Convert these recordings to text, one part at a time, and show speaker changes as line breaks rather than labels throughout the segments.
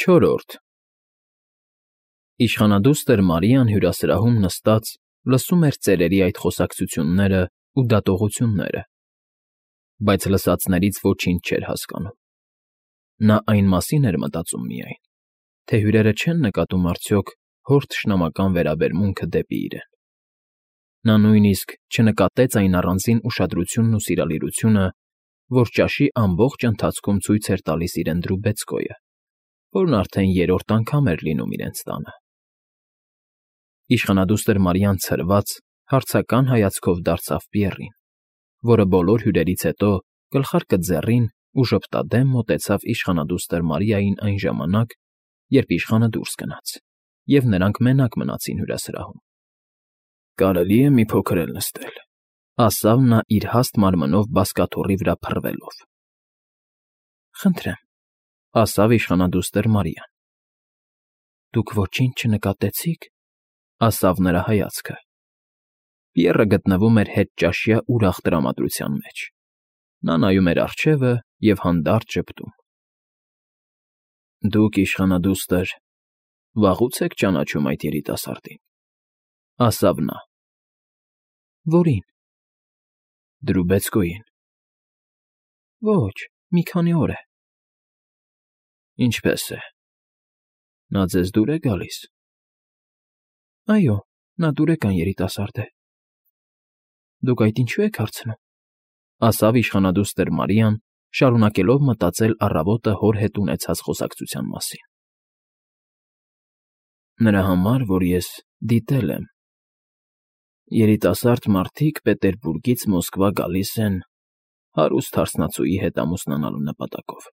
Չորրորդ Իշխանադուստր Մարիան հյուրասրահում նստած լսում էր ծերերի այդ խոսակցություններն ու դատողությունները, բայց լսածներից ոչինչ չէր հասկանում. նա այն մասին էր մտածում միայն, թե հյուրերը չեն նկատում արդյոք հոր թշնամական վերաբերմունքը դեպի իրեն. նա նույնիսկ չնկատեց այն առանձին ուշադրությունն ու սիրալիրությունը, որ ճաշի ամբողջ ընթացքում ցույց էր տալիս իրեն Դրուբեցկոյը, որն արդեն երրորդ անգամ էր լինում իրենց տանը. Իշխանադուստր Մարիան ցրված, հարցական հայացքով դարձավ Պիեռին, որը բոլոր հյուրերից հետո գլխարկը ձեռին ու ժպտադեմ մոտեցավ իշխանադուստր Մարիային այն ժամանակ, երբ իշխանը դուրս գնաց, և նրանք մենակ մնացին հյուրասրահում։ ֊ Կարելի՞ է մի փոքր էլ նստել, ֊ ասավ նա իր հաստ մարմնով բազկաթոռի վրա փռվելով։ ֊ Խնդրեմ, ֊ ասավ իշխանադուստր Մարիան։ ֊ Դուք ոչինչ չնկատեցի՞ք, ֊ ասավ նրա հայացքը։ Պիեռը գտնվում էր հետճաշյա ուրախ տրամադրության մեջ. նա նայում էր առջևը և հանդարտ ժպտում։ ֊ Դուք, իշխանադուստր, վաղուց եք ճանաչում այդ երիտասարդին, ֊ ասավ նա։ ֊ Որի՞ն։ ֊ Դրուբեցկոյին։ ֊ Ոչ, մի քանի օր է։ ֊ Ինչպե՞ս է։ Նա ձեզ դուր է գալիս։ ֊ Այո, նա դուրեկան երիտասարդ է։ ֊ Դուք այդ ինչո՞ւ եք հարցնում, ֊ ասավ իշխանադուստր Մարիան, շարունակելով մտածել առավոտը հոր հետ ունեցած խոսակցության մասին։ ֊ Նրա համար, որ ես դիտել եմ. երիտասարդ մարդիկ Պետերբուրգից Մոսկվա գալիս են հարուստ հարսնացուի հետ ամուսնանալու նպատակով։ ֊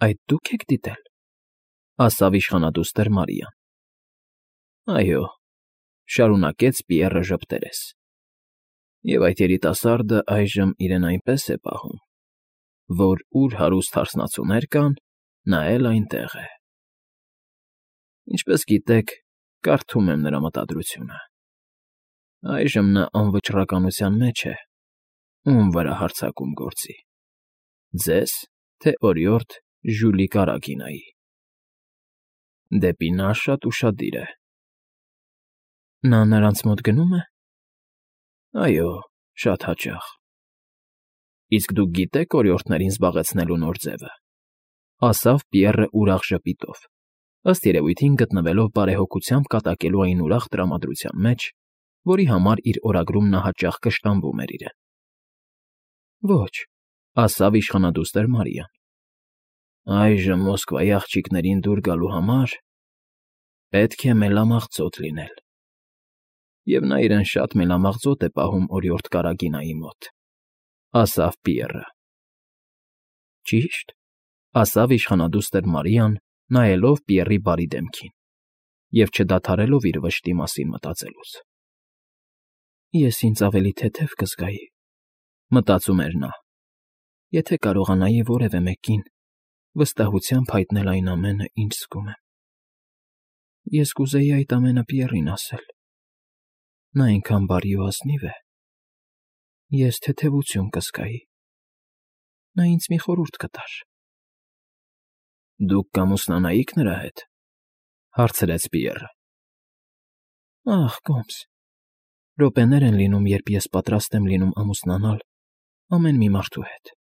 Այդ դու՞ք եք դիտել, ֊ ասավ իշխանադուստր Մարիան։ ֊ Այո, ֊ շարունակեց Պիեռը ժպտերես։ Եվ այդ երիտասարդը այժմ իրեն այնպես է պահում, որ ուր հարուստ հարսնացուներ կան, նա էլ այնտեղ է։ Ինչպես գիտեք, կարդում եմ նրա մտադրությունը։ Այժմ նա անվճռականության մեջ է, ում վրա հարձակում գործի՝ ձեզ, թե օրիորդ Ժյուլի Կարագինայի։ Դեպի նա շատ ուշադիր է։ ֊ Նա նրանց մոտ գնո՞ւմ է։ ֊ Այո, շատ հաճախ։ ֊ Իսկ դուք գիտե՞ք օրիորդներին զբաղեցնելու նոր ձևը, ֊ ասավ Պիեռը ուրախ ժպիտով, ըստ երևույթին գտնվելով բարեհոգությամբ կատակելու այն ուրախ տրամադրության մեջ, որի համար իր օրագրում նա հաճախ կշտամբում էր իրեն։ ֊ Ոչ, ֊ ասավ իշխանադուստր Մարիան։ Այժմ Մոսկվայի աղջիկներին դուր գալու համար պետք է մելամաղձոտ լինել, և նա իրեն շատ մելամաղձոտ է պահում օրիորդ Կարագինայի մոտ, ֊ ասավ Պիեռը։ ֊ Ճի՞շտ, ֊ ասավ իշխանադուստր Մարիան, նայելով Պիեռի բարի դեմքին և չդադարելով իր վշտի մասին մտածելուց։ Ես ինձ ավելի թեթև կզգայի, ֊ մտածում էր նա, եթե կարողանայի որևէ մեկին վստահությամբ հայտնել այն ամենը, ինչ զգում եմ։ Ես կուզեի այդ ամենը Պիեռին ասել. նա այնքան բարի ու ազնիվ է։ Ես թեթևություն կզգայի։ Նա ինձ մի խորհուրդ կտար։ ֊ Դուք կամուսնանայիք նրա հետ, ֊ հարցրեց Պիեռը։ Ախ, կոմս, րոպեներ են լինում, երբ ես պատրաստ եմ լինում ամուսնանալ ամեն մի մարդու հետ, ֊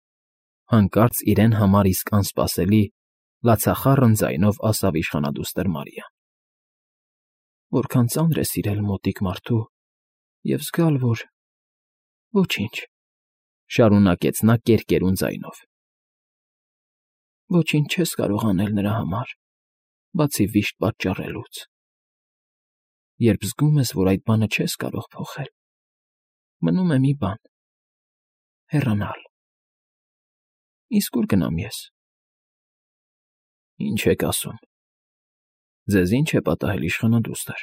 հանկարծ իրեն համար իսկ անսպասելի, լացախառն ձայնով ասավ իշխանադուստր Մարիան։ Որքան ծանր է սիրել մոտիկ մարդու և զգալ, որ… Ոչինչ, ֊ շարունակեց նա կերկերուն ձայնով։ Ոչինչ չես կարող անել նրա համար, բացի վիշտ պատճառելուց։ Երբ զգում ես, որ այդ բանը չես կարող փոխել, մնում է մի բան՝ հեռանալ։ Իսկ ուր գնամ ես։ ֊ Ինչ եք ասում, ձեզ ի՞նչ է պատահել, իշխանադուստր։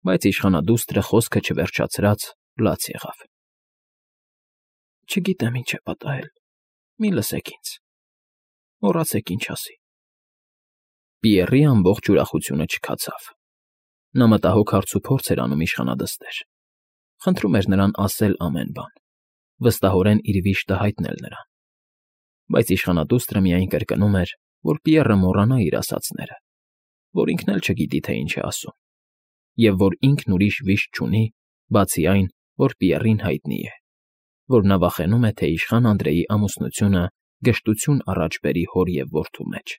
Բայց իշխանադուստրը խոսքը չվերջացրած լաց եղավ։ ֊ Չգիտեմ ինչ է պատահել, մի լսեք ինձ, մոռացեք ինչ ասի։ Պիեռի ամբողջ ուրախությունը չքացավ։ Նա մտահոգ հարցուփորձ էր անում իշխանադստեր, խնդրում էր նրան ասել ամեն բան, վստահորեն իր վիշտը հայտնել նրան։ Բայց իշխանադուստրը միայն կրկնում էր, որ Պիեռը մոռանա իր ասածները, որ ինքն էլ չգիտի, թե ինչ է ասում, և որ ինքն ուրիշ վիշտ չունի, բացի այն, որ Պիեռին հայտնի է, որ նա վախենում է, թե իշխան Անդրեի ամուսնությունը գժտություն առաջ բերի հոր և որդու մեջ։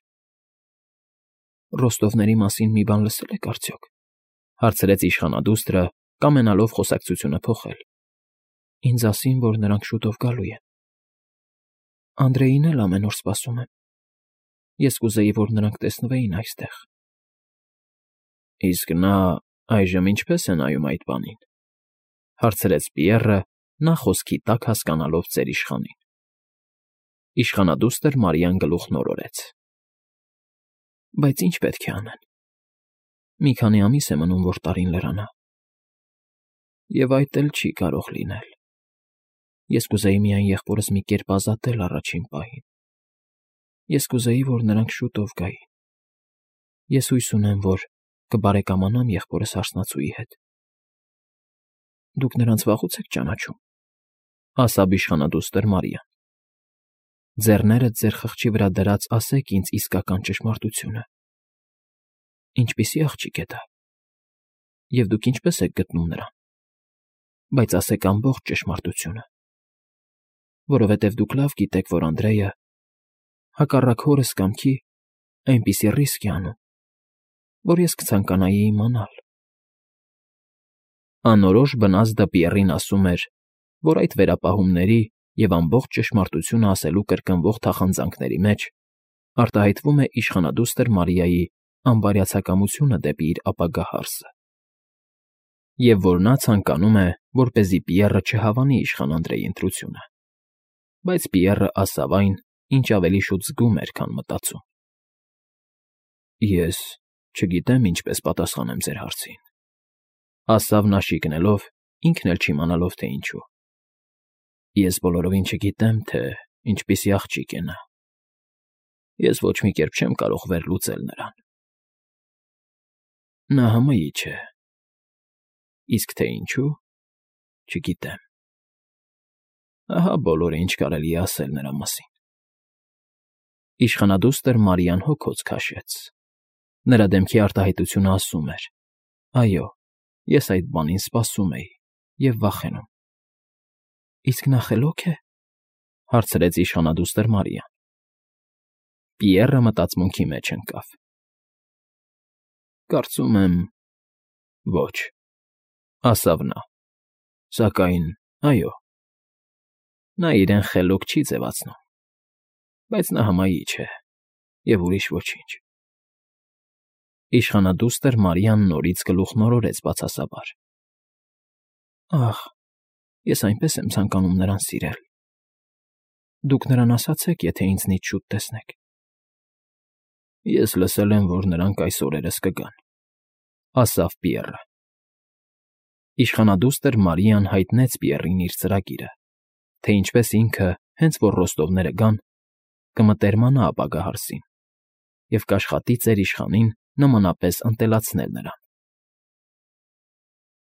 «Ռոստովների մասին մի բան լսել եք արդյոք,֊ հարցրեց իշխանադուստրը, կամենալով խոսակցությունը փոխել։ Ինձ ասին, որ նրանք շուտով գալու են։ Անդրեին էլ ամեն օր սպասում եմ։ Ես կուզեի, որ նրանք տեսնվեին այստեղ»։ «Իսկ նա այժմ ինչպե՞ս է նայում այդ բանին,֊ հարցրեց Պիեռը, նա խոսքի տակ հասկանալով ծեր իշխանին։ Իշխանադուստր Մարիան գլուխն օրորեց։ «Բայց ինչ պետք է անեն։ Մի քանի ամիս է մնում, որ տարին լրանա։ Եվ այդ էլ չի կարող լինել։ Ես կուզեի միայն եղբորս մի կերպ ազատել առաջին պահին։ Ես կուզեի, որ նրանք շուտով գային։ Ես հույս ունեմ, որ կբարեկամանամ եղբորս հարսնացուի հետ»։ «Դուք նրանց վաղուց եք ճանաչում,֊ ասաց իշխանադուստր Մարիան։ Ձեռներդ ձեր խղճի վրա դրած ասեք ինձ իսկական ճշմարտությունը։ Ինչպիսի աղջիկ է դա։ Եվ դուք ինչպես եք գտնում նրան։ Բայց ասեք ամբողջ ճշմարտությունը, որովհետև դուք լավ գիտեք, որ Անդրեյը, հակառակ հորս կամքի, այնպիսի ռիսկ է անում, որ ես կցանկանայի իմանալ»։ Անորոշ բնազդը Պիեռին ասում էր, որ այդ վերապահումների և ամբողջ ճշմարտությունը ասելու կրկնվող թախանձնանքների մեջ արտահայտվում է իշխանադուստր Մարիայի անբարյացակամությունը դեպի իր ապագա հարսը, և որ նա ցանկանում է, որպեսզի Պիեռը չհավանի իշխան Անդրեի ընտրությունը, բայց Պիեռը ասավ այն, ինչ ավելի շուտ զգում էր, քան մտածում։ «Ես չգիտեմ ինչպես պատասխանեմ ձեր հարցին,֊ ասավ նա շիկնելով, ինքն էլ չիմանալով, թե ինչու։ Ես բոլորովին չգիտեմ, թե ինչպիսի աղջիկ է նա։ Ես ոչ մի կերպ չեմ կարող վերլուծել նրան։ Նա հմայիչ է, իսկ թե ինչու, չգիտեմ։ Ահա բոլորը, ինչ կարելի է ասել նրա մասին»։ Իշխանադուստր Մարիան հոգոց քաշեց։ Նրա դեմքի արտահայտությունը ասում էր. «Այո, ես այդ բանին սպասում էի և վախենում»։ «Իսկ նա խելոք է,֊ հարցրեց իշխանադուստր Մարիան։ Պիեռը մտածմունքի մեջ ընկավ։ «Կարծում եմ, ոչ,֊ ասավ նա։ Սակայն, այո, նա իրեն խելոք չի ձևացնում, բայց նա հմայիչ է և ուրիշ ոչինչ»։ Իշխանադուստր Մարիան նորից գլուխն օրորեց բացասաբար։ «Ախ, ես այնպես եմ ցանկանում նրան սիրել։ Դուք նրան ասացեք, եթե ինձնից շուտ տեսնեք»։ «Ես լսել եմ, որ նրանք այս օրերս կգան,֊ ասավ Պիեռը։ Իշխանադուստր Մարիան հայտնեց Պիեռին իր ծրագիրը, թե ինչպես ինքը, հենց որ ռոստովները գան, կմտերմանա ապագա հարսին և կաշխատի ծեր իշխանին նմանապես ընտելացնել նրան։